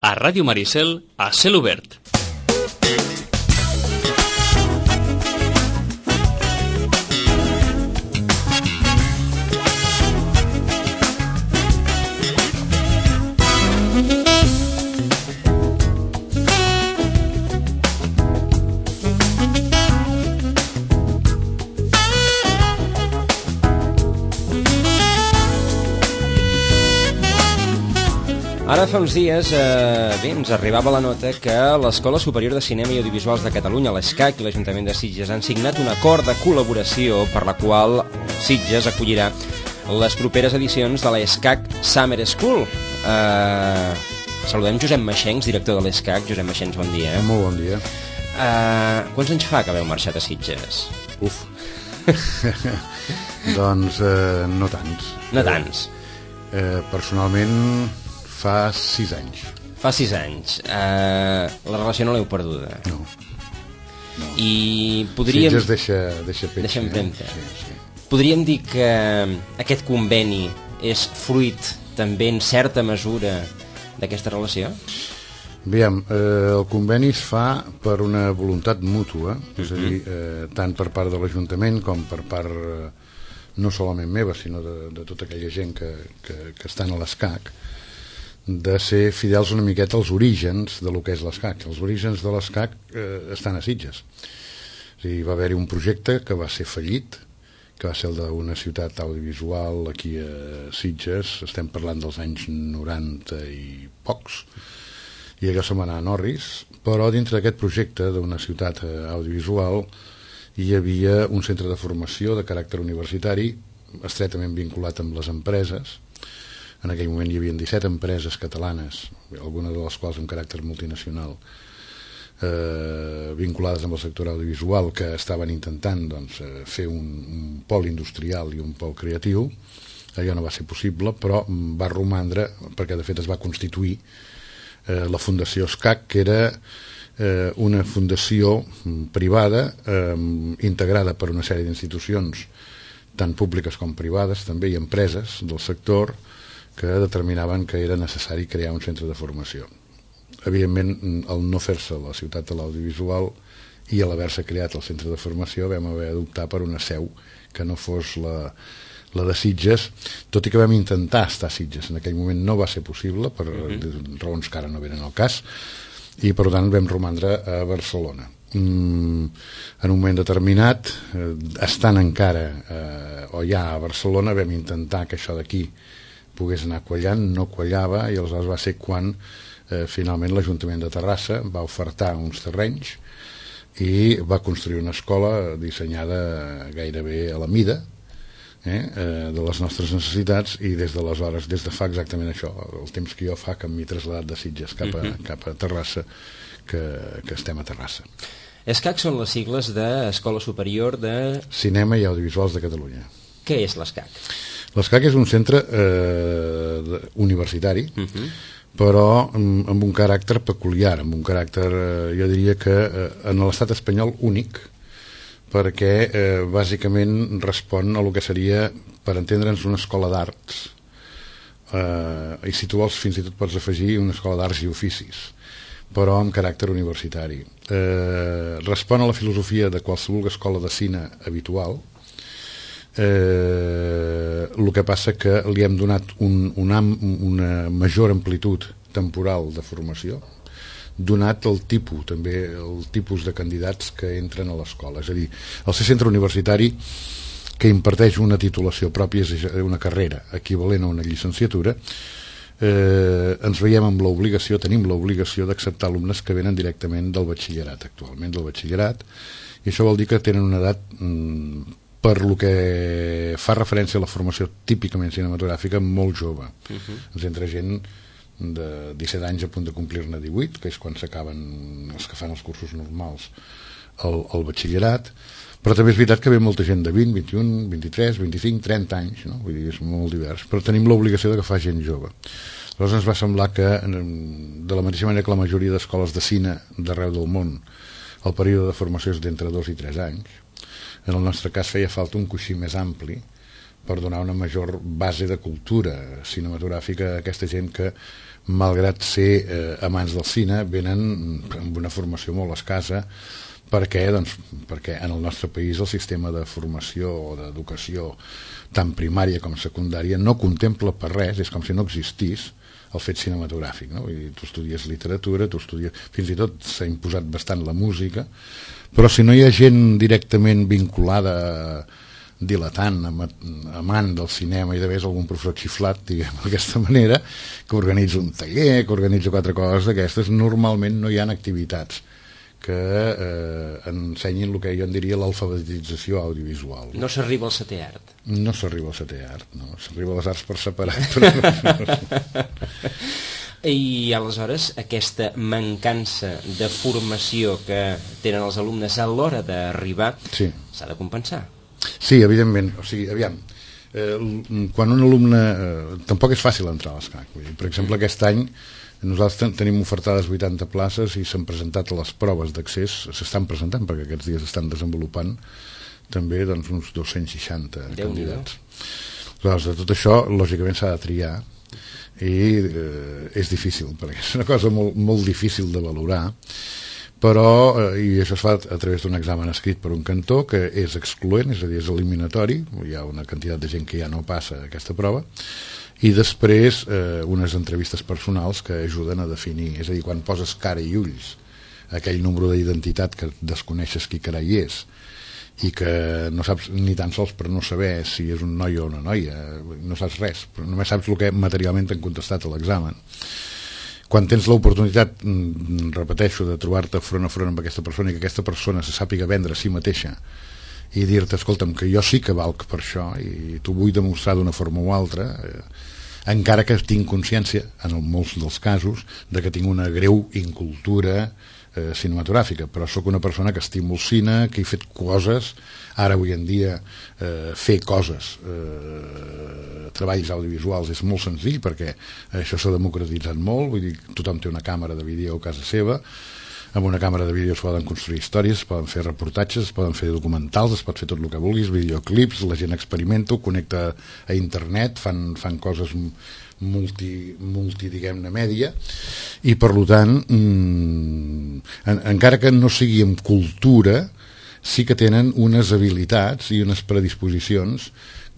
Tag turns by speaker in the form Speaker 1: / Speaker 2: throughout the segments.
Speaker 1: A Ràdio Maricel, a cel obert.
Speaker 2: Ara fa uns dies ens arribava la nota que l'Escola Superior de Cinema i Audiovisuals de Catalunya, l'ESCAC, i l'Ajuntament de Sitges han signat un acord de col·laboració per la qual Sitges acollirà les properes edicions de l'ESCAC Summer School. Saludem Josep Maxencs, director de l'ESCAC. Josep Maxencs, bon dia.
Speaker 3: Molt bon dia.
Speaker 2: Quants anys fa que haveu marxat a Sitges?
Speaker 3: Uf. Doncs no tants.
Speaker 2: No tants.
Speaker 3: Personalment fa 6 anys.
Speaker 2: Fa 6 anys. La relació no l'heu perduda?
Speaker 3: No.
Speaker 2: I podríem...
Speaker 3: Sitges deixa peix.
Speaker 2: Deixa empremta.
Speaker 3: Sí.
Speaker 2: Podríem dir que aquest conveni és fruit també en certa mesura d'aquesta relació?
Speaker 3: Aviam, el conveni es fa per una voluntat mútua, és a dir, tant per part de l'Ajuntament com per part no solament meva, sinó de tota aquella gent que estan a l'ESCAC, de ser fidels una miqueta als orígens de lo que és l'ESCAC. Els orígens de l'ESCAC estan a Sitges. És a dir, va haver-hi un projecte que va ser fallit, que va ser el d'una ciutat audiovisual aquí a Sitges, estem parlant dels anys 90 i pocs, i allò se'n va anar a Norris, però dintre d'aquest projecte d'una ciutat audiovisual hi havia un centre de formació de caràcter universitari estretament vinculat amb les empreses. En aquell moment hi havia 17 empreses catalanes, algunes de les quals amb caràcter multinacional, vinculades amb el sector audiovisual, que estaven intentant fer un pol industrial i un pol creatiu. Allò no va ser possible, però va romandre, perquè de fet es va constituir la Fundació ESCAC, que era una fundació privada integrada per una sèrie d'institucions tant públiques com privades, també, i empreses del sector que determinaven que era necessari crear un centre de formació. Evidentment, al no fer-se la ciutat de l'audiovisual i a l'haver-se creat el centre de formació, vam haver d'optar per una seu que no fos la de Sitges, tot i que vam intentar estar a Sitges. En aquell moment no va ser possible, per raons que ara no venen al cas, i per tant vam romandre a Barcelona. En un moment determinat, estant encara o ja a Barcelona, vam intentar que això d'aquí pogués anar quallant, no quallava, i aleshores va ser quan finalment l'Ajuntament de Terrassa va ofertar uns terrenys i va construir una escola dissenyada gairebé a la mida de les nostres necessitats, i des d'aleshores, des de fa exactament això, el temps que jo fa que m'he traslladat de Sitges cap a Terrassa, que estem a Terrassa.
Speaker 2: ESCAC són les sigles d'Escola Superior de
Speaker 3: Cinema i Audiovisuals de Catalunya.
Speaker 2: Què és l'ESCAC?
Speaker 3: L'ESCAC és un centre universitari, però amb un caràcter peculiar, amb un caràcter, jo diria que en l'estat espanyol únic, perquè bàsicament respon a el que seria, per entendre'ns, una escola d'arts, i si tu vols fins i tot pots afegir una escola d'arts i oficis, però amb caràcter universitari. Respon a la filosofia de qualsevol escola de cine habitual. El que passa que li hem donat una major amplitud temporal de formació, donat el tipus de candidats que entren a l'escola. És a dir, el ser centre universitari que imparteix una titulació pròpia, és una carrera equivalent a una llicenciatura, ens veiem amb l'obligació, tenim l'obligació d'acceptar alumnes que venen directament del batxillerat, actualment del batxillerat, i això vol dir que tenen una edat, per lo que fa referència a la formació típicament cinematogràfica, molt jove. Ens entra gent de 17 anys a punt de complir-ne 18, que és quan s'acaben els que fan els cursos normals al batxillerat, però també és veritat que ve molta gent de 20, 21, 23, 25, 30 anys, no? Vull dir, és molt divers, però tenim l'obligació de que fa gent jove. Llavors ens va semblar que, de la mateixa manera que la majoria d'escoles de cine d'arreu del món, el període de formació és d'entre 2 i 3 anys, en el nostre cas feia falta un coixí més ampli per donar una major base de cultura cinematogràfica a aquesta gent que malgrat ser amants del cine, venen amb una formació molt escassa. Per què? Doncs perquè en el nostre país el sistema de formació o d'educació tant primària com secundària no contempla per res, és com si no existís el fet cinematogràfic, no? Vull dir, tu estudies literatura, fins i tot s'ha imposat bastant la música, però si no hi ha gent directament vinculada, dilatant, amant del cinema, i de vegades algun professor xiflat, diguem d'aquesta manera, que organitza un taller, que organitza 4 coses d'aquestes, normalment no hi ha activitats que ensenyin el que jo en diria l'alfabetització audiovisual.
Speaker 2: No s'arriba al setè art.
Speaker 3: No s'arriba al setè art, no. S'arriba a les arts per separat. Però...
Speaker 2: I aleshores aquesta mancança de formació que tenen els alumnes a l'hora d'arribar s'ha de compensar.
Speaker 3: Sí, evidentment. O sigui, aviam, quan un alumne... tampoc és fàcil entrar a l'ESCAC. Per exemple, aquest any nosaltres tenim ofertades 80 places i s'han presentat les proves d'accés, s'estan presentant perquè aquests dies estan desenvolupant també doncs, uns 260 candidats. Aleshores, de tot això, lògicament s'ha de triar i és difícil, perquè és una cosa molt, molt difícil de valorar, però, i això es fa a través d'un examen escrit per un cantó que és excloent, és a dir, és eliminatori, hi ha una quantitat de gent que ja no passa aquesta prova, i després unes entrevistes personals que ajuden a definir, és a dir, quan poses cara i ulls aquell número d'identitat que desconeixes qui carai és i que no saps ni tan sols per no saber si és un noi o una noia, no saps res, però només saps el que materialment t'han contestat a l'examen. Quan tens l'oportunitat, repeteixo, de trobar-te front a front amb aquesta persona i que aquesta persona se sàpiga vendre a si mateixa i dir-te, escolta'm, que jo sí que valc per això i t'ho vull demostrar d'una forma o altra, encara que tinc consciència, en molts dels casos, de que tinc una greu incultura cinematogràfica, però sóc una persona que estimo el cine, que he fet coses, ara avui en dia fer coses, treballs audiovisuals és molt senzill perquè això s'ha democratitzat molt, vull dir, tothom té una càmera de vídeo a casa seva, amb una càmera de vídeo es poden construir històries, es poden fer reportatges, es poden fer documentals, es pot fer tot el que vulguis, videoclips, la gent experimenta, ho connecta a internet, fan coses multi diguem-ne, mèdia, i per tant, encara que no sigui amb cultura, sí que tenen unes habilitats i unes predisposicions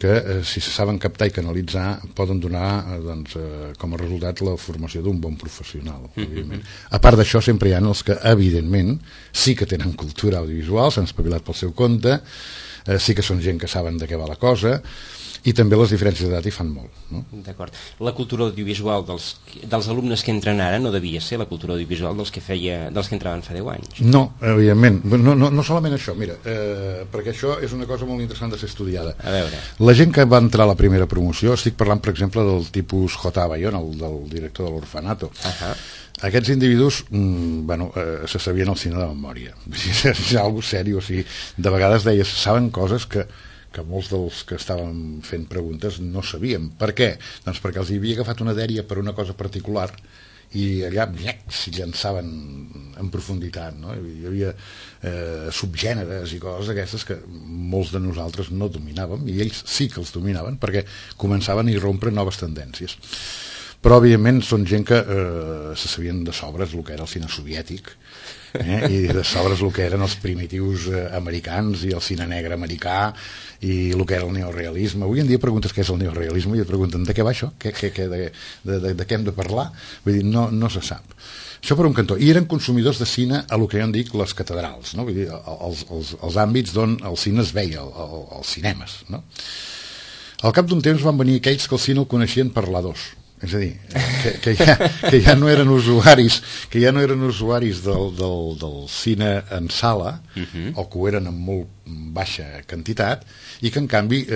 Speaker 3: que si se saben captar i canalitzar poden donar doncs, com a resultat la formació d'un bon professional, evidentment. A part d'això sempre hi ha els que evidentment sí que tenen cultura audiovisual, s'han espavilat pel seu compte, sí que són gent que saben de què va la cosa, i també les diferències d'edat hi fan molt, no?
Speaker 2: D'acord. La cultura audiovisual dels alumnes que entren ara no devia ser la cultura audiovisual dels que entraven fa 10 anys.
Speaker 3: No, evidentment. No solament això, mira, perquè això és una cosa molt interessant de ser estudiada.
Speaker 2: A veure.
Speaker 3: La gent que va entrar a la primera promoció, estic parlant, per exemple, del tipus J. Bayona, del director de l'Orfanato. Aquests individus se sabien el cine de memòria. És algo seriós, o sigui, de vegades deies, saben coses que molts dels que estàvem fent preguntes no sabíem. Per què? Doncs perquè els hi havia agafat una dèria per una cosa particular i allà s'hi llançaven en profunditat, no? Hi havia subgèneres i coses aquestes que molts de nosaltres no dominàvem i ells sí que els dominaven perquè començaven a irrompre noves tendències. Però evidentment són gent que se sabien de sobres el que era el cine soviètic, i de sobres el que eren els primitius americans i el cine negre americà i el que era el neorealisme. Avui en dia preguntes què és el neorealisme i et pregunten de què va això, de què hem de parlar, vull dir, no se sap. Això per un cantó. I eren consumidors de cine a el que jo en dic les catedrals, no? Vull dir, els àmbits d'on el cine es veia, els cinemes, no? Al cap d'un temps van venir aquells que el cine el coneixien per l'A2, és a dir, que ja no eren usuaris del cine en sala, o que ho eren en molt baixa quantitat, i que en canvi,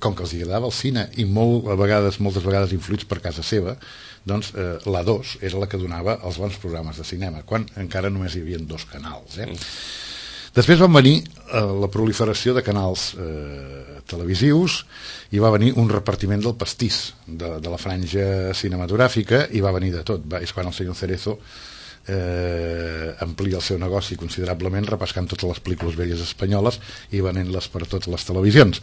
Speaker 3: com que els agradava el cine i moltes vegades influïts per casa seva, doncs l'A2 era la que donava els bons programes de cinema, quan encara només hi havia 2 canals. Després van venir la proliferació de canals televisius i va venir un repartiment del pastís de la franja cinematogràfica i va venir de tot. És quan el senyor Cerezo amplia el seu negoci considerablement repescant totes les pel·lícules velles espanyoles i venent-les per totes les televisions.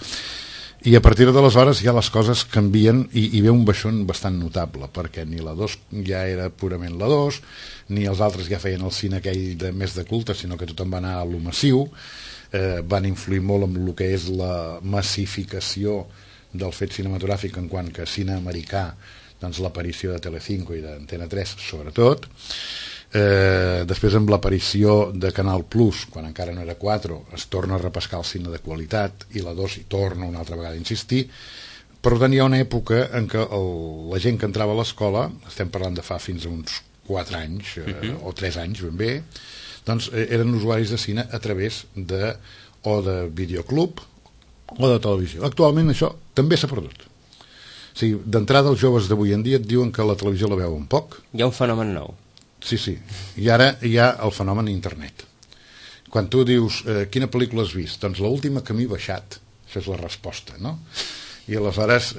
Speaker 3: I a partir d'aleshores ja les coses canvien i ve un baixón bastant notable, perquè ni la 2 ja era purament la 2, ni els altres ja feien el cine aquell més de culte, sinó que tothom va anar a lo massiu. Van influir molt en el que és la massificació del fet cinematogràfic en quant que cine americà, doncs l'aparició de Telecinco i d'Antena 3 sobretot. Després amb l'aparició de Canal Plus, quan encara no era 4, es torna a repescar el cine de qualitat i la 2 hi torna una altra vegada a insistir. Per tant, hi ha una època en què la gent que entrava a l'escola, estem parlant de fa fins a uns 4 anys o 3 anys ben bé, doncs eren usuaris de cine a través o de videoclub o de televisió. Actualment això també s'ha perdut. O sigui, d'entrada els joves d'avui en dia et diuen que la televisió la veuen poc.
Speaker 2: Hi ha un fenomen nou.
Speaker 3: Sí, i ara hi ha el fenomen internet. Quan tu dius quina pel·lícula has vist, doncs l'última que m'he baixat, això és la resposta, no? I aleshores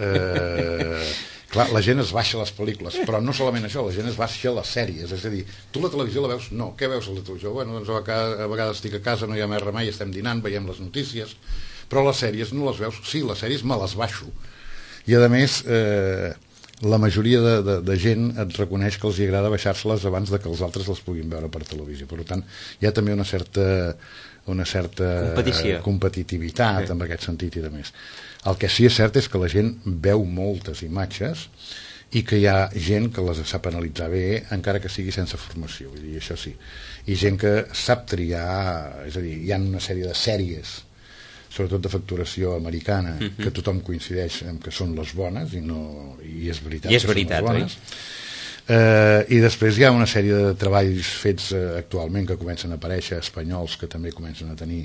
Speaker 3: clar, la gent es baixa les pel·lícules, però no solament això, la gent es baixa les sèries, és a dir, tu la televisió la veus? No, què veus a la televisió? Bueno, doncs a vegades estic a casa, no hi ha més remei, estem dinant, veiem les notícies, però les sèries no les veus. Sí, les sèries me les baixo, i a més la majoria de gent et reconeix que els agrada baixar-se-les abans de que els altres les puguin veure per televisió. Per tant, hi ha també una certa competitivitat en aquest sentit i de més. El que sí és cert és que la gent veu moltes imatges i que hi ha gent que les sap analitzar bé, encara que sigui sense formació, vull dir, això sí. I gent que sap triar, és a dir, hi ha una sèrie de sèries, sobretot de facturació americana, que tothom coincideix en que són les bones, i és veritat,
Speaker 2: I és veritat, oi?
Speaker 3: I després hi ha una sèrie de treballs fets actualment que comencen a aparèixer, espanyols, que també comencen a tenir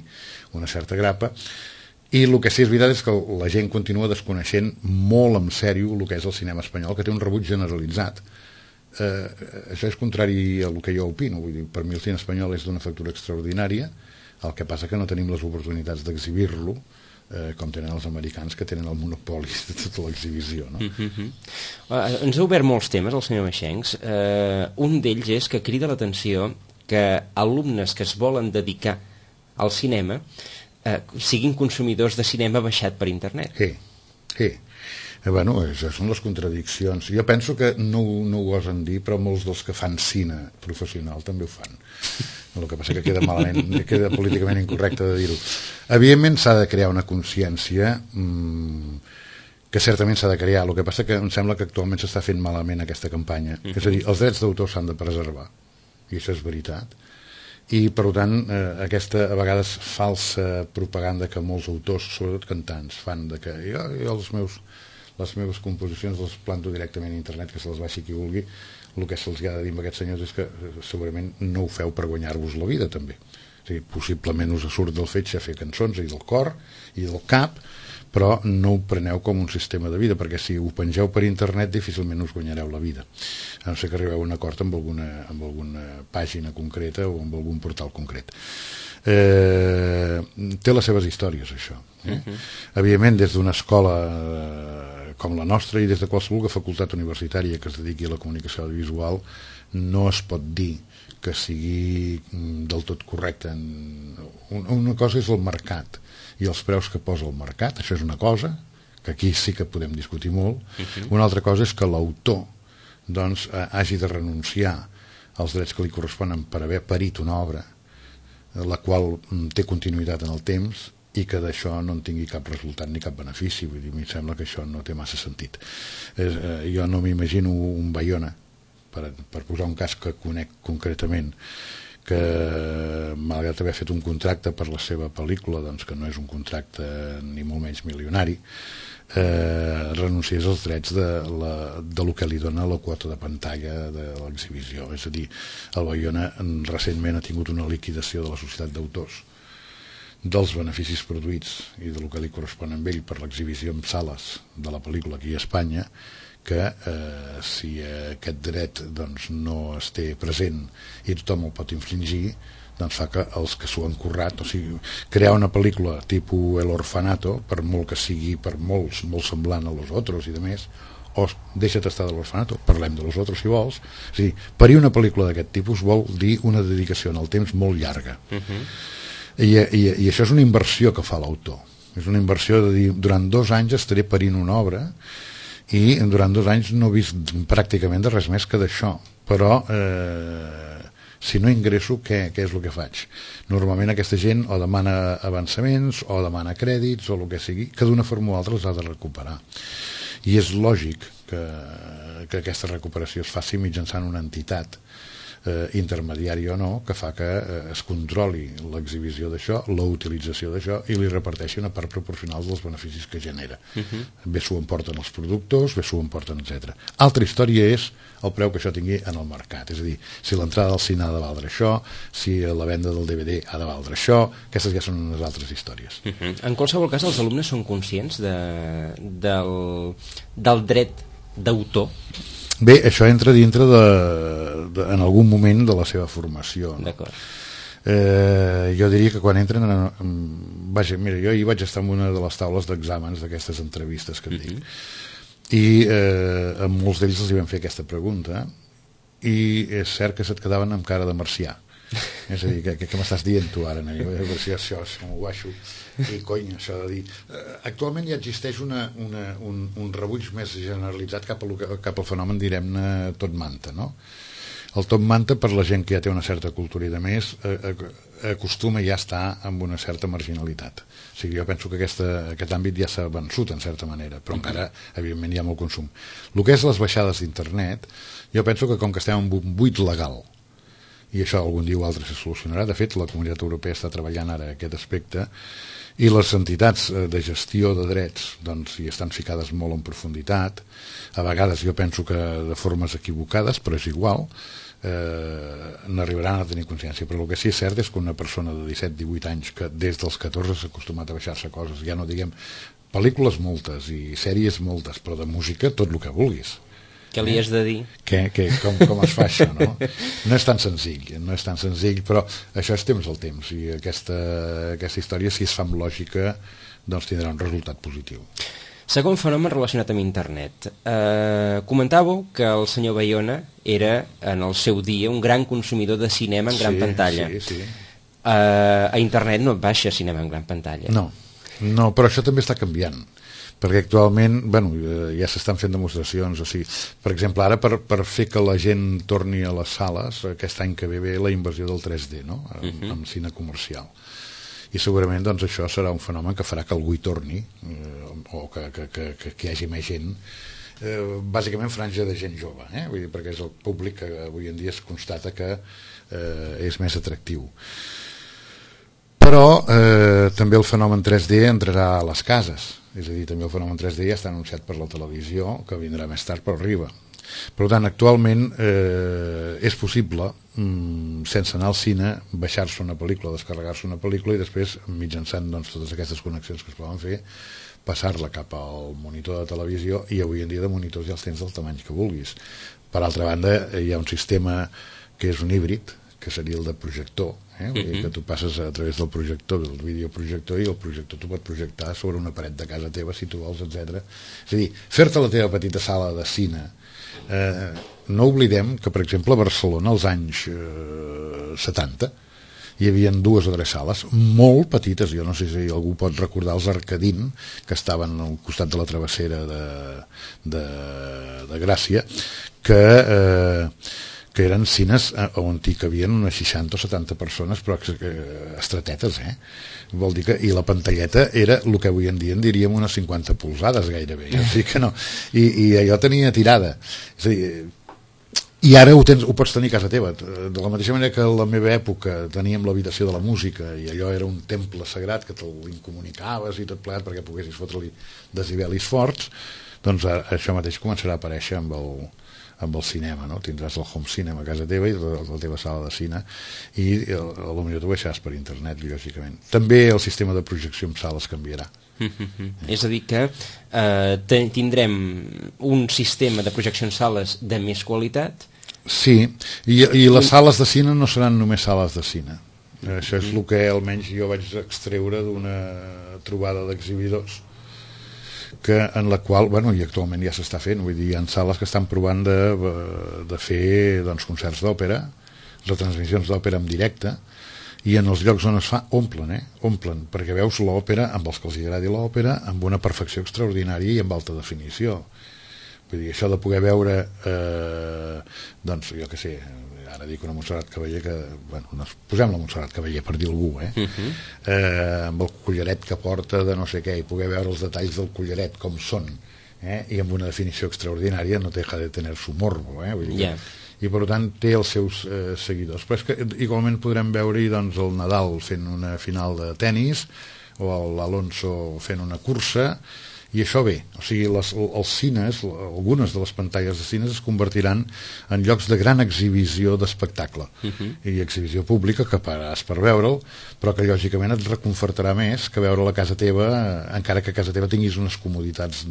Speaker 3: una certa grapa, i el que sí és veritat és que la gent continua desconeixent molt en sèrio el que és el cinema espanyol, que té un rebuig generalitzat. Això és contrari a el que jo opino, vull dir, per mi el cine espanyol és d'una factura extraordinària, el que passa que no tenim les oportunitats d'exhibir-lo com tenen els americans, que tenen el monopoli de tota l'exhibició, no?
Speaker 2: Ens ha obert molts temes el senyor Maxencs. Un d'ells és que crida l'atenció que alumnes que es volen dedicar al cinema siguin consumidors de cinema baixat per internet.
Speaker 3: Sí. Bueno, això són les contradiccions. Jo penso que no ho gosen dir, però molts dels que fan cine professional també ho fan. El que passa que queda malament, queda políticament incorrecte de dir-ho. Evidentment s'ha de crear una consciència que certament s'ha de crear. El que passa que em sembla que actualment s'està fent malament aquesta campanya. És a dir, els drets d'autor s'han de preservar, i això és veritat. I per tant aquesta a vegades falsa propaganda que molts autors, sobretot cantants, fan de que jo les meves composicions les planto directament a internet, que se les baixi qui vulgui. El que se'ls ha de dir amb aquests senyors és que segurament no ho feu per guanyar-vos la vida també. O sigui, possiblement us surt del fetge fer cançons i del cor i del cap, però no ho preneu com un sistema de vida, perquè si ho pengeu per internet difícilment us guanyareu la vida, a no ser que arribeu a un acord amb alguna pàgina concreta o amb algun portal concret. Té les seves històries, això. Evidentment, des d'una escola com la nostra i des de qualsevol facultat universitària que es dediqui a la comunicació audiovisual no es pot dir que sigui del tot correcte. Una cosa és el mercat i els preus que posa el mercat, això és una cosa que aquí sí que podem discutir molt. Una altra cosa és que l'autor doncs hagi de renunciar als drets que li corresponen per haver parit una obra la qual té continuïtat en el temps i que d'això no en tingui cap resultat ni cap benefici. Vull dir, em sembla que això no té massa sentit. Jo no m'imagino un Bayona, per posar un cas que conec concretament, que malgrat haver fet un contracte per la seva pel·lícula, doncs que no és un contracte ni molt menys milionari, renunciés als drets de lo que li dona la quota de pantalla de l'exhibició. És a dir, el Bayona recentment ha tingut una liquidació de la societat d'autors dels beneficis produïts i del que li correspon a ell per l'exhibició en sales de la pel·lícula aquí a Espanya, que si aquest dret doncs, no es té present i tothom el pot infringir, doncs fa que els que s'ho han currat, o sigui, crear una pel·lícula tipus El Orfanato, per molt que sigui per molts molt semblant a Los Otros i de més, o deixa't estar de l'Orfanato, parlem de Los Otros si vols. O sigui, parir una pel·lícula d'aquest tipus vol dir una dedicació en el temps molt llarga. I això és una inversió que fa l'autor. És una inversió de dir, durant 2 anys estaré parint una obra i durant 2 anys no he vist pràcticament de res més que d'això. Però si no ingresso, què és el que faig? Normalment aquesta gent o demana avançaments o demana crèdits o el que sigui, que d'una forma o altra els ha de recuperar. I és lògic que aquesta recuperació es faci mitjançant una entitat intermediària o no, que fa que es controli l'exhibició d'això, la utilització d'això i li reparteixi una part proporcional dels beneficis que genera. Bé s'ho emporten els productors, bé s'ho emporten, etc. Altra història és el preu que això tingui en el mercat, és a dir, si l'entrada al cine ha de valdre això, si la venda del DVD ha de valdre això, aquestes ja són unes altres històries.
Speaker 2: En qualsevol cas, els alumnes són conscients del dret d'autor?
Speaker 3: Bé, això entra dintre en algun moment de la seva formació, no?
Speaker 2: D'acord.
Speaker 3: Jo diria que quan entren vaja, mira, jo hi vaig estar en una de les taules d'exàmens d'aquestes entrevistes que et dic, i a molts d'ells els hi vam fer aquesta pregunta i és cert que se't quedaven amb cara de marcià. És a dir, què m'estàs dient tu ara? Si això m'ho baixo i cony, això de dir actualment ja existeix un rebuig més generalitzat cap al fenomen, direm-ne, tot manta, no? El top manta, per la gent que ja té una certa cultura i de més, acostuma ja a estar amb una certa marginalitat. O sigui, jo penso que aquest àmbit ja s'ha vençut en certa manera, però encara, evidentment, hi ha molt consum. El que és les baixades d'internet, jo penso que com que estem en un buit legal, i això algun dia o altre se solucionarà, de fet la Comunitat Europea està treballant ara aquest aspecte, i les entitats de gestió de drets doncs hi estan ficades molt en profunditat, a vegades jo penso que de formes equivocades, però és igual, n'arribaran a tenir consciència, però el que sí és cert és que una persona de 17-18 anys que des dels 14 s'ha acostumat a baixar-se coses, ja no diguem pel·lícules moltes i sèries moltes, però de música tot el que vulguis.
Speaker 2: Què li has de dir?
Speaker 3: Com es fa això, no? No és tan senzill, però això és temps al temps, i aquesta història, si es fa amb lògica, doncs tindrà un resultat positiu.
Speaker 2: Segon fenomen relacionat amb internet. Comentàveu que el senyor Bayona era, en el seu dia, un gran consumidor de cinema en gran pantalla.
Speaker 3: Sí.
Speaker 2: A internet no et baixa cinema en gran pantalla.
Speaker 3: No, però això també està canviant, perquè actualment ja s'estan fent demostracions, o sigui, per exemple, ara per fer que la gent torni a les sales, aquest any que ve la invasió del 3D, no? Amb cine comercial, i segurament doncs això serà un fenomen que farà que algú hi torni, o que hi hagi més gent, bàsicament franja de gent jove, vull dir, perquè és el públic que avui en dia es constata que és més atractiu. Però també el fenomen 3D entrarà a les cases, és a dir, també el fenomen 3D ja està anunciat per la televisió, que vindrà més tard però arriba. Per tant, actualment és possible, sense anar al cine, baixar-se una pel·lícula, descarregar-se una pel·lícula i després, mitjançant totes aquestes connexions que es poden fer, passar-la cap al monitor de televisió, i avui en dia de monitors ja els tens del tamany que vulguis. Per altra banda, hi ha un sistema que és un híbrid, que seria el de projector, que tu passes a través del projector, del videoprojector, i el projector tu pot projectar sobre una paret de casa teva si tu vols, etc. És a dir, fer-te la teva petita sala de cine. No oblidem que, per exemple, a Barcelona als anys 70 hi havia 2 o 3 sales molt petites, jo no sé si algú pot recordar els Arcadín, que estaven al costat de la travessera de Gràcia, que eren cines on hi cabien unes 60 o 70 persones, però estretetes, vol dir que, i la pantalleta era el que avui en dia en diríem unes 50 polzades gairebé, o sigui que no, i allò tenia tirada, és a dir, i ara ho pots tenir a casa teva, de la mateixa manera que a la meva època teníem l'habitació de la música i allò era un temple sagrat que te'l incomunicaves i tot plegat perquè poguessis fotre-li decibelis forts, doncs això mateix començarà a aparèixer amb el cinema, no? Tindràs el home cinema a casa teva i la teva sala de cine, i potser t'ho baixaràs per internet, lògicament. També el sistema de projecció en sales canviarà.
Speaker 2: És a dir que tindrem un sistema de projecció en sales de més qualitat.
Speaker 3: Sí, i les sales de cine no seran només sales de cine. Això és el que almenys jo vaig extreure d'una trobada d'exhibidors, en la qual, i actualment ja s'està fent, vull dir, hi ha sales que estan provant de fer concerts d'òpera, retransmissions d'òpera en directe, i en els llocs on es fa omplen, perquè veus l'òpera, amb els que els agradi l'òpera, amb una perfecció extraordinària i amb alta definició. Vull dir, això de poder veure doncs jo què sé, ara dic una Montserrat Caballé que, bueno, posem la Montserrat Caballé per dir algú, amb el collaret que porta de no sé què, i poder veure els detalls del collaret com són, i amb una definició extraordinària, no deja de tener su morbo, vull dir i per tant té els seus seguidors, però és que igualment podrem veure-hi doncs, el Nadal fent una final de tennis o l'Alonso fent una cursa, i això bé, o sigui, els cines, algunes de les pantalles de cines es convertiran en llocs de gran exhibició d'espectacle i exhibició pública que pagaràs per veure'l, però que lògicament et reconfortarà més que veure la casa teva, encara que a casa teva tinguis unes comoditats,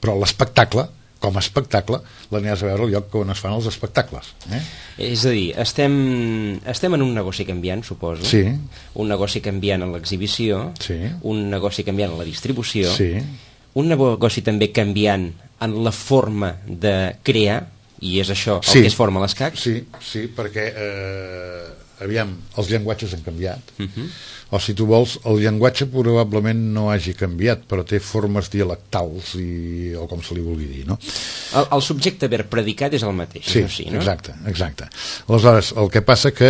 Speaker 3: però l'espectacle com a espectacle l'aniràs a veure al lloc on es fan els espectacles.
Speaker 2: És a dir, estem en un negoci canviant, suposo.
Speaker 3: Sí. Un
Speaker 2: negoci canviant en l'exhibició, un negoci canviant en la distribució, un negoci també canviant en la forma de crear, i és això el que es forma l'escac.
Speaker 3: Sí, perquè aviam, els llenguatges han canviat, o si tu vols, el llenguatge probablement no hagi canviat, però té formes dialectals o com se li vulgui dir, no?
Speaker 2: El subjecte verb predicat és el mateix,
Speaker 3: sí, no? Exacte. Aleshores, el que passa que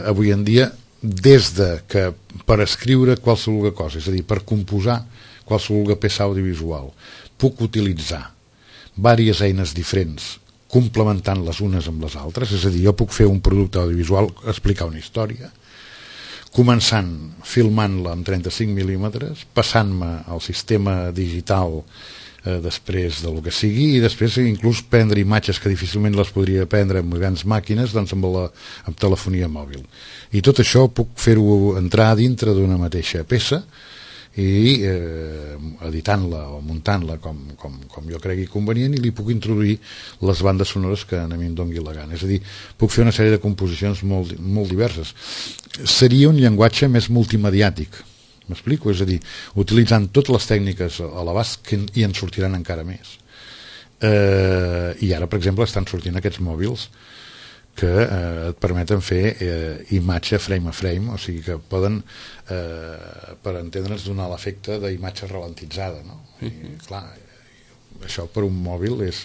Speaker 3: avui en dia, des de que per escriure qualsevol cosa, és a dir, per composar qualsevol peça audiovisual, puc utilitzar diverses eines diferents complementant les unes amb les altres, és a dir, jo puc fer un producte audiovisual, explicar una història, començant filmant-la amb 35 mil·límetres, passant-me al sistema digital després del que sigui, i després inclús prendre imatges que difícilment les podria prendre amb grans màquines, doncs amb telefonia mòbil. I tot això puc fer-ho entrar dintre d'una mateixa peça i editant-la o muntant-la com jo cregui convenient, i li puc introduir les bandes sonores que a mi em doni la gana. És a dir, puc fer una sèrie de composicions molt diverses. Seria un llenguatge més multimediàtic, m'explico? És a dir, utilitzant totes les tècniques a l'abast, i en sortiran encara més. I ara, per exemple, estan sortint aquests mòbils que et permeten fer imatge frame a frame, o sigui que poden, per entendre'ns, donar l'efecte d'imatge ralentitzada, no? I, clar, això per un mòbil és...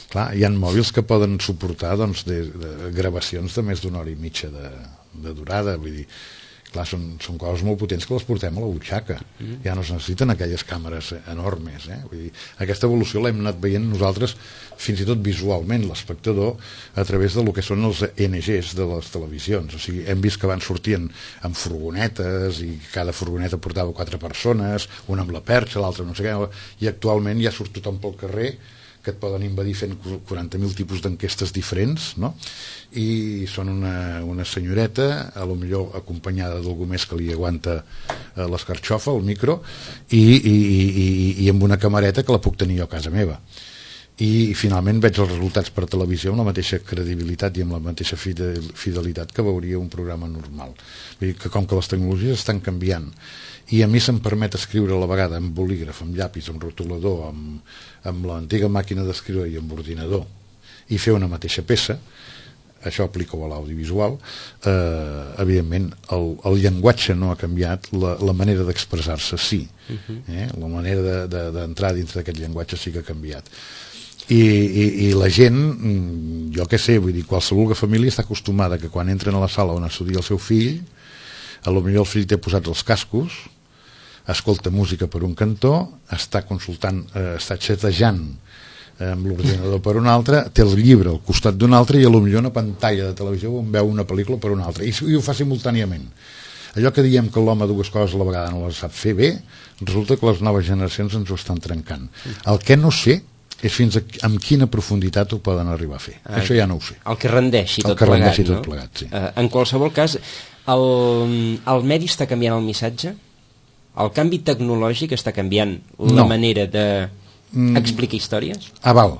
Speaker 3: Clar, hi ha mòbils que poden suportar doncs, de gravacions de més d'una hora i mitja de durada, vull dir, clar, són coses molt potents que les portem a la butxaca, ja no es necessiten aquelles càmeres enormes, vull dir, aquesta evolució l'hem anat veient nosaltres fins i tot visualment, l'espectador, a través del que són els NGs de les televisions. O sigui, hem vist que van sortint amb furgonetes, i cada furgoneta portava 4 persones, una amb la perxa, l'altra no sé què, i actualment ja surt tothom pel carrer, que et poden invadir fent 40.000 tipus d'enquestes diferents, no? I són una senyoreta, a lo millor acompanyada d'algú més que li aguanta l'escarxofa, el micro, i amb una camareta que la puc tenir jo a casa meva. I finalment veig els resultats per televisió amb la mateixa credibilitat i amb la mateixa fidelitat que veuria un programa normal. Vull dir que com que les tecnologies estan canviant, i a mi se'm permet escriure a la vegada amb bolígraf, amb llapis, amb rotulador, amb l'antiga màquina d'escriure i amb ordinador, i fer una mateixa peça, això aplica-ho a l'audiovisual, evidentment el llenguatge no ha canviat, la manera d'expressar-se sí, la manera d'entrar dintre d'aquest llenguatge sí que ha canviat. I la gent, jo què sé, vull dir, qualsevol família està acostumada que quan entren a la sala on estudia el seu fill, a lo millor el fill té posats els cascos, escolta música per un cantó, està consultant, està xatejant amb l'ordinador per un altre, té el llibre al costat d'un altre, i a lo millor una pantalla de televisió on veu una pel·lícula per un altre, i ho fa simultàniament. Allò que diem que l'home dues coses a la vegada no les sap fer bé, resulta que les noves generacions ens ho estan trencant. El que no sé és fins amb quina profunditat ho poden arribar a fer. Això ja no ho sé.
Speaker 2: El que rendeixi tot plegat, sí. En qualsevol cas, el medi està canviant el missatge? El canvi tecnològic està canviant la manera d'explicar històries?
Speaker 3: Val.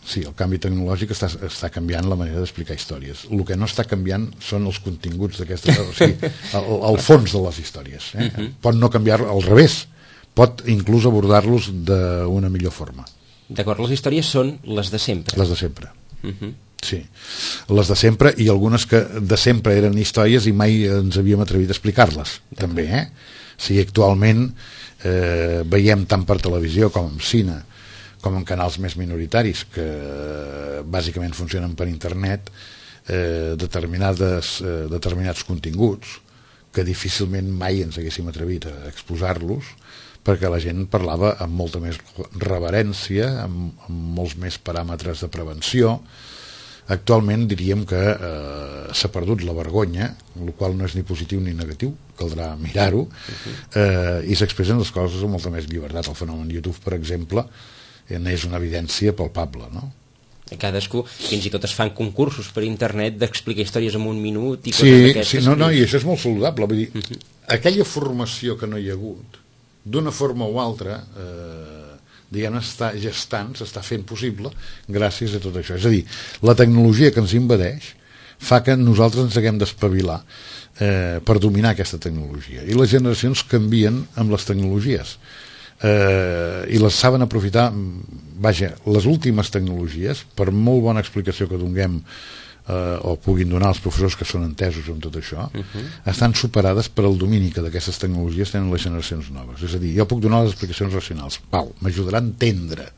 Speaker 3: Sí, el canvi tecnològic està canviant la manera d'explicar històries. El que no està canviant són els continguts d'aquestes, o sigui, el fons de les històries. Pot no canviar al revés, pot inclús abordar-los d'una millor forma.
Speaker 2: D'acord, les històries són les de sempre.
Speaker 3: Les de sempre, sí. les de sempre, i algunes que de sempre eren històries i mai ens havíem atrevit a explicar-les, també, Si actualment veiem tant per televisió com en cine, com en canals més minoritaris, que bàsicament funcionen per internet, determinats continguts que difícilment mai ens haguéssim atrevit a exposar-los, perquè la gent parlava amb molta més reverència, amb molts més paràmetres de prevenció. Actualment diríem que s'ha perdut la vergonya, el qual no és ni positiu ni negatiu, caldrà mirar-ho, i s'expressen les coses amb molta més llibertat. El fenomen YouTube, per exemple, és una evidència palpable, no?
Speaker 2: Cadascú, fins i tot es fan concursos per internet d'explicar històries en un minut i
Speaker 3: coses
Speaker 2: d'aquestes.
Speaker 3: Sí, no, i això és molt saludable. Vull dir, aquella formació que no hi ha hagut, d'una forma o altra, diguem, està gestant, s'està fent possible gràcies a tot això. És a dir, la tecnologia que ens invadeix fa que nosaltres ens haguem d'espavilar per dominar aquesta tecnologia. I les generacions canvien amb les tecnologies. I les saben aprofitar. Vaja, les últimes tecnologies, per molt bona explicació que donem o puguin donar els professors que són entesos amb tot això, estan superades per al domini que d'aquestes tecnologies tenen les generacions noves. És a dir, jo puc donar les explicacions racionals, m'ajudarà a entendre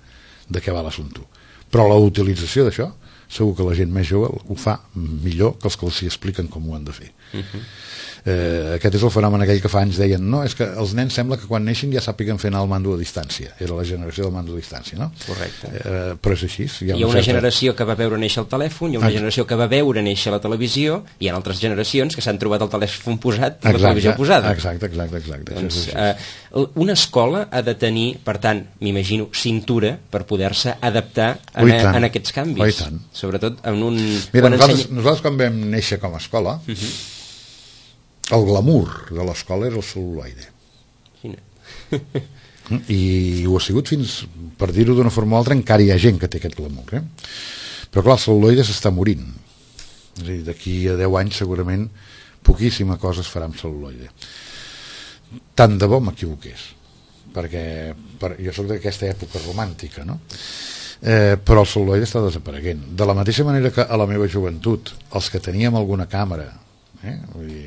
Speaker 3: de què va l'assumpte, però la utilització d'això segur que la gent més jove ho fa millor que els que els hi expliquen com ho han de fer. Aquest és el fenomen aquell que fa anys deien, no, és que els nens sembla que quan neixen ja sàpiguen fer anar el mando a distància. Era la generació del mando a distància, no?
Speaker 2: Correcte.
Speaker 3: Però és així.
Speaker 2: Hi ha una generació que va veure néixer el telèfon, hi ha una generació que va veure néixer la televisió, i hi ha altres generacions que s'han trobat el telèfon posat i la televisió posada.
Speaker 3: Exacte.
Speaker 2: Doncs, una escola ha de tenir, per tant, m'imagino, cintura per poder-se adaptar en aquests canvis. Sobretot en un...
Speaker 3: Mira, nosaltres quan vam néixer com a escola, el glamour de l'escola era el cel·luloide. I ho ha sigut fins, per dir-ho d'una forma o altra, encara hi ha gent que té aquest glamour. Però clar, el cel·luloide s'està morint. És a dir, d'aquí a 10 anys segurament poquíssima cosa es farà amb cel·luloide. Tant de bo m'equivoqués, perquè jo soc d'aquesta època romàntica, no? Però el cel·luloide està desapareguent. De la mateixa manera que a la meva joventut, els que teníem alguna càmera, vull dir,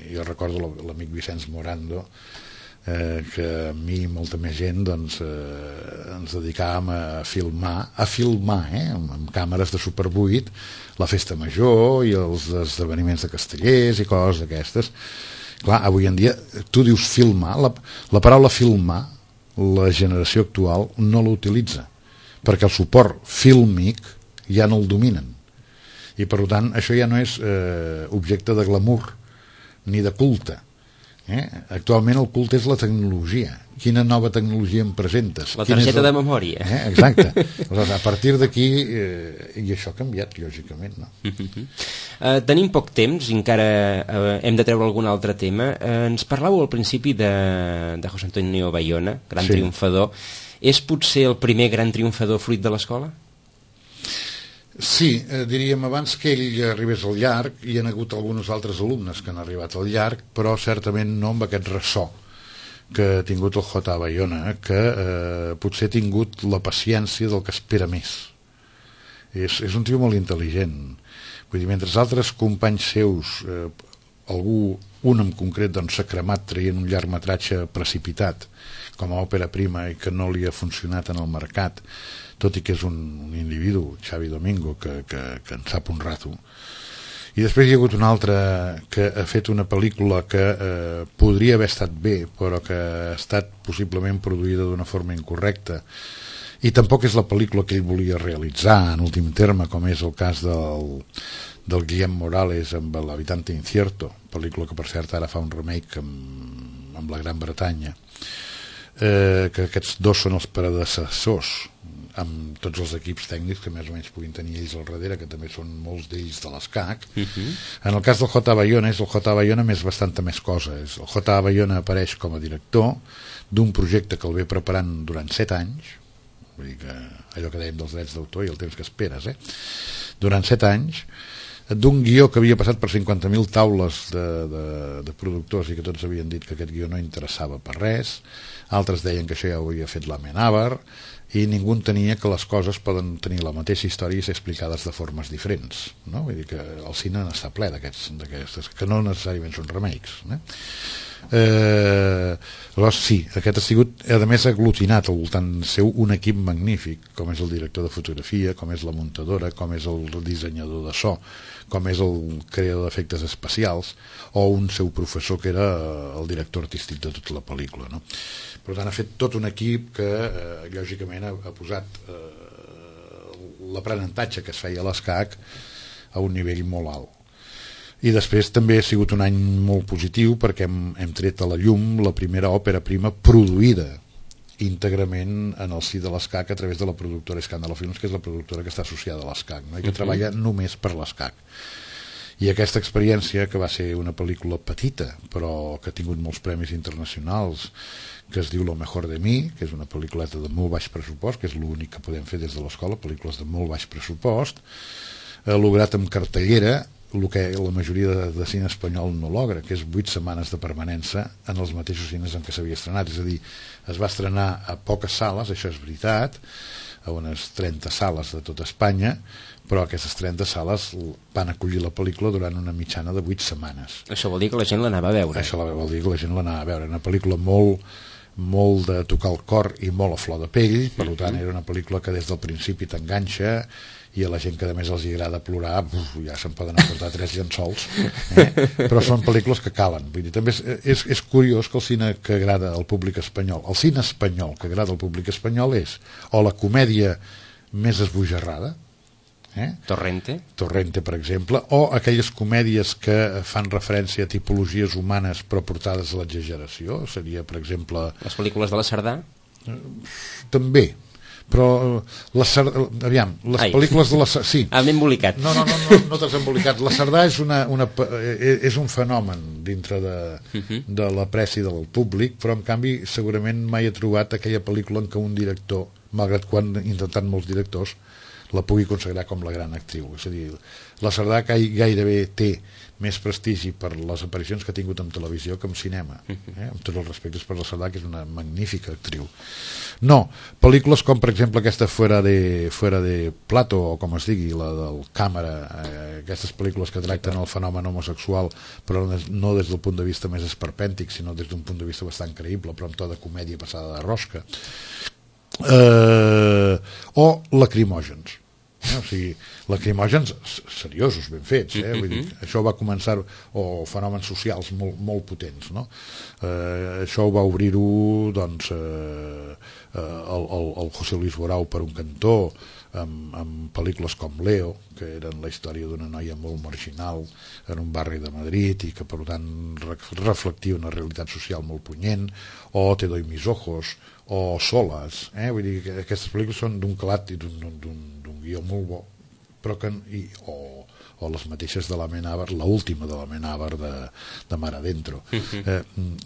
Speaker 3: jo recordo l'amic Vicenç Morando, que a mi i molta més gent doncs, ens dedicàvem a filmar amb càmeres de Super 8 la festa major i els esdeveniments de Castellers i coses d'aquestes. Clar, avui en dia tu dius filmar, la paraula filmar la generació actual no l'utilitza, perquè el suport fílmic ja no el dominen, i per tant això ja no és objecte de glamour ni de culte. Actualment el culte és la tecnologia. Quina nova tecnologia em presentes?
Speaker 2: La targeta de memòria.
Speaker 3: Exacte. Aleshores, a partir d'aquí, i això ha canviat, lògicament, no?
Speaker 2: Tenim poc temps, encara hem de treure algun altre tema. Ens parlàveu al principi de José Antonio Bayona, gran triomfador. És potser el primer gran triomfador fruit de l'escola?
Speaker 3: Sí, diríem, abans que ell arribés al llarg, hi ha hagut alguns altres alumnes que han arribat al llarg, però certament no amb aquest ressò que ha tingut el J. Bayona, que potser ha tingut la paciència del que espera més. És un tio molt intel·ligent. Vull dir, mentre altres companys seus, un en concret, doncs, s'ha cremat traient un llargmetratge precipitat com a òpera prima i que no li ha funcionat en el mercat, tot i que és un individu, Xavi Domingo, que en sap un rato. I després hi ha hagut un altre que ha fet una pel·lícula que podria haver estat bé, però que ha estat possiblement produïda d'una forma incorrecta, i tampoc és la pel·lícula que ell volia realitzar en últim terme, com és el cas del Guillem Morales amb l'Habitante Incierto, pel·lícula que per cert ara fa un remake amb la Gran Bretanya, que aquests dos són els predecessors, amb tots els equips tècnics que més o menys puguin tenir ells al darrere, que també són molts d'ells de l'ESCAC. En el cas del J. Bayona, és el J. Bayona més bastanta més cosa. El J. Bayona apareix com a director d'un projecte que el ve preparant durant 7 anys, vull dir que allò que dèiem dels drets d'autor i el temps que esperes, durant 7 anys, d'un guió que havia passat per 50.000 taules de productors i que tots havien dit que aquest guió no interessava per res, altres deien que això ja ho havia fet l'Amenábar, i ningú entenia que les coses poden tenir la mateixa història i ser explicades de formes diferents, no? Vull dir que el cine n'està ple d'aquestes, que no necessàriament són remakes, Llavors sí, aquest ha sigut, a més, aglutinat al voltant seu un equip magnífic, com és el director de fotografia, com és la muntadora, com és el dissenyador de so, com és el creador d'efectes especials, o un seu professor que era el director artístic de tota la pel·lícula, no? Per tant, ha fet tot un equip que lògicament ha posat l'aprenentatge que es feia a l'ESCAC a un nivell molt alt. I després també ha sigut un any molt positiu perquè hem tret a la llum la primera òpera prima produïda íntegrament en el si de l'ESCAC a través de la productora Escàndalo Films, que és la productora que està associada a l'ESCAC, no? I que treballa només per l'ESCAC. I aquesta experiència, que va ser una pel·lícula petita però que ha tingut molts premis internacionals, que es diu Lo mejor de mi, que és una pel·lículeta de molt baix pressupost, que és l'únic que podem fer des de l'escola, pel·lícules de molt baix pressupost, ha lograt amb cartellera el que la majoria de cine espanyol no logra, que és 8 setmanes de permanència en els mateixos cines en què s'havia estrenat. És a dir, es va estrenar a poques sales, això és veritat, a unes 30 sales de tota Espanya, però aquestes 30 sales van acollir la pel·lícula durant una mitjana de 8 setmanes.
Speaker 2: Això vol dir que la gent l'anava a veure.
Speaker 3: Això vol dir que la gent l'anava a veure. Una pel·lícula molt de tocar el cor i molt a flor de pell, per tant era una pel·lícula que des del principi t'enganxa, i a la gent que a més els agrada plorar ja se'n poden aportar 3 llençols, però són pel·lícules que calen. Vull dir, també és curiós que el cine que agrada al públic espanyol, el cine espanyol que agrada al públic espanyol és o la comèdia més esbojarrada,
Speaker 2: Torrente, per
Speaker 3: exemple, o aquelles comèdies que fan referència a tipologies humanes però portades a l'exageració, seria, per exemple...
Speaker 2: Les pel·lícules de la Cerdà?
Speaker 3: També, però les pel·lícules de la Cerdà... Sí.
Speaker 2: M'he embolicat.
Speaker 3: No t'has embolicat. La Cerdà és un fenomen dintre de l'apreci del públic, però en canvi segurament mai he trobat aquella pel·lícula en què un director, malgrat quan han intentat molts directors, la pugui consagrar com la gran actriu. És a dir, la Cerdà gairebé té més prestigi per les aparicions que ha tingut en televisió que en cinema, amb tots els respectes per la Cerdà, que és una magnífica actriu. No, pel·lícules com per exemple aquesta Fuera de Plato, o com es digui, la del Càmera, aquestes pel·lícules que tracten el fenomen homosexual, però no des del punt de vista més esperpèntic, sinó des d'un punt de vista bastant creïble, però amb to de comèdia passada de rosca, o lacrimògens, o sigui, lacrimògens seriosos, ben fets, vull dir, això va començar, o fenòmens socials molt potents, no? Això ho va obrir-ho doncs el José Luis Borau per un cantó, amb pel·lícules com Leo, que eren la història d'una noia molt marginal en un barri de Madrid i que per tant reflectia una realitat social molt punyent, o Te doy mis ojos, o Solas, vull dir que aquestes pel·lícules són d'un calat i d'un guió molt bo, però que, o les mateixes de l'Amenábar, l'última de l'Amenábar de Mar Adentro,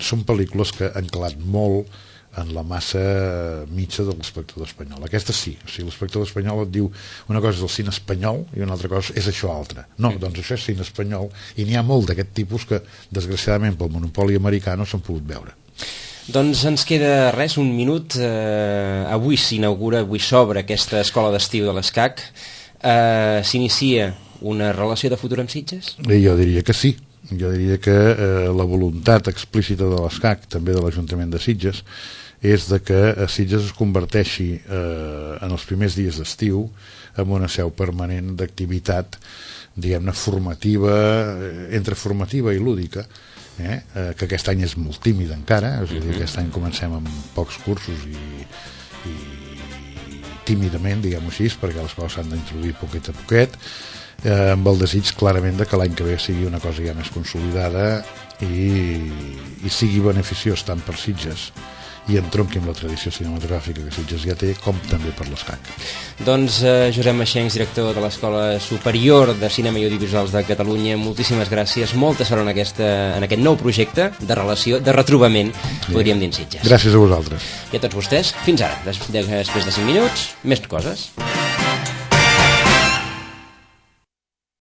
Speaker 3: són pel·lícules que han calat molt en la massa mitja de l'espectador espanyol. Aquesta sí, o sigui, l'espectador espanyol et diu una cosa és el cine espanyol i una altra cosa és això altre. No, doncs això és cine espanyol, i n'hi ha molt d'aquest tipus que desgraciadament pel monopoli americà no s'han pogut veure.
Speaker 2: Doncs ens queda res, un minut. Avui s'inaugura, avui s'obre aquesta escola d'estiu de l'ESCAC. S'inicia una relació de futur amb Sitges?
Speaker 3: Jo diria que sí. Jo diria que la voluntat explícita de l'ESCAC, també de l'Ajuntament de Sitges, és de que Sitges es converteixi en els primers dies d'estiu en una seu permanent d'activitat, diguem-ne, formativa, entre formativa i lúdica, que aquest any és molt tímid encara, és a dir, aquest any comencem amb pocs cursos i tímidament, diguem-ho així, perquè les coses s'han d'introduir poquet a poquet, amb el desig clarament de que l'any que ve sigui una cosa ja més consolidada i sigui beneficiós tant per Sitges i entronqui amb la tradició cinematogràfica que Sitges ja té, com també per l'ESCAC.
Speaker 2: Doncs Josep Maxencs, director de l'Escola Superior de Cinema i Audiovisuals de Catalunya, moltíssimes gràcies, molta sort en aquest nou projecte de relació, de retrobament, podríem dir, en Sitges.
Speaker 3: Gràcies a vosaltres.
Speaker 2: I a tots vostès, fins ara, després de 5 minuts, més coses.